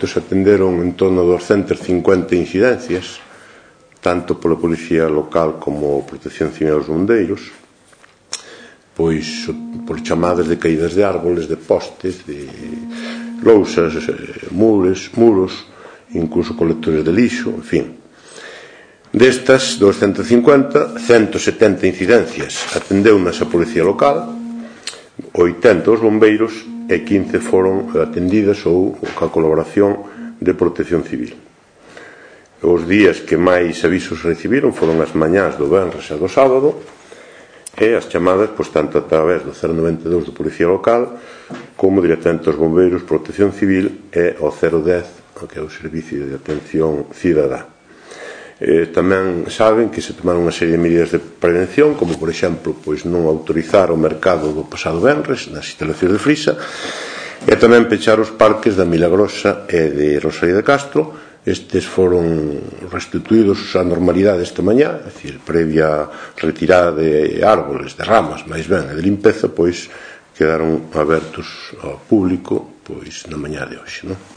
efectos atenderon en torno a 250 incidencias, tanto pola Policía Local como Protección Civil aos bombeiros, pois por chamadas de caídas de árboles, de postes, de lousas, muros, incluso colectores de lixo, en fin. Destas 250, 170 incidencias atendeunas a Policía Local, 80 os bombeiros e 15 foron atendidas ou ca colaboración de Protección Civil. Os días que máis avisos recibiron foron as mañás do venres e do sábado, e as chamadas, tanto a través do 092 do Policía Local como directamente aos bombeiros, Protección Civil e ao 010, que é o Servicio de Atención Cidadá. Tamén saben que se tomaron unha serie de medidas de prevención, como por exemplo non autorizar o mercado do pasado venres nas instalacións de Frisa, e tamén pechar os parques da Milagrosa e de Rosalía de Castro. Estes foron restituídos á normalidade esta mañá, é dicir, previa retirada de árboles, de ramas, máis ben, e de limpeza, quedaron abertos ao público na mañá de hoxe, non?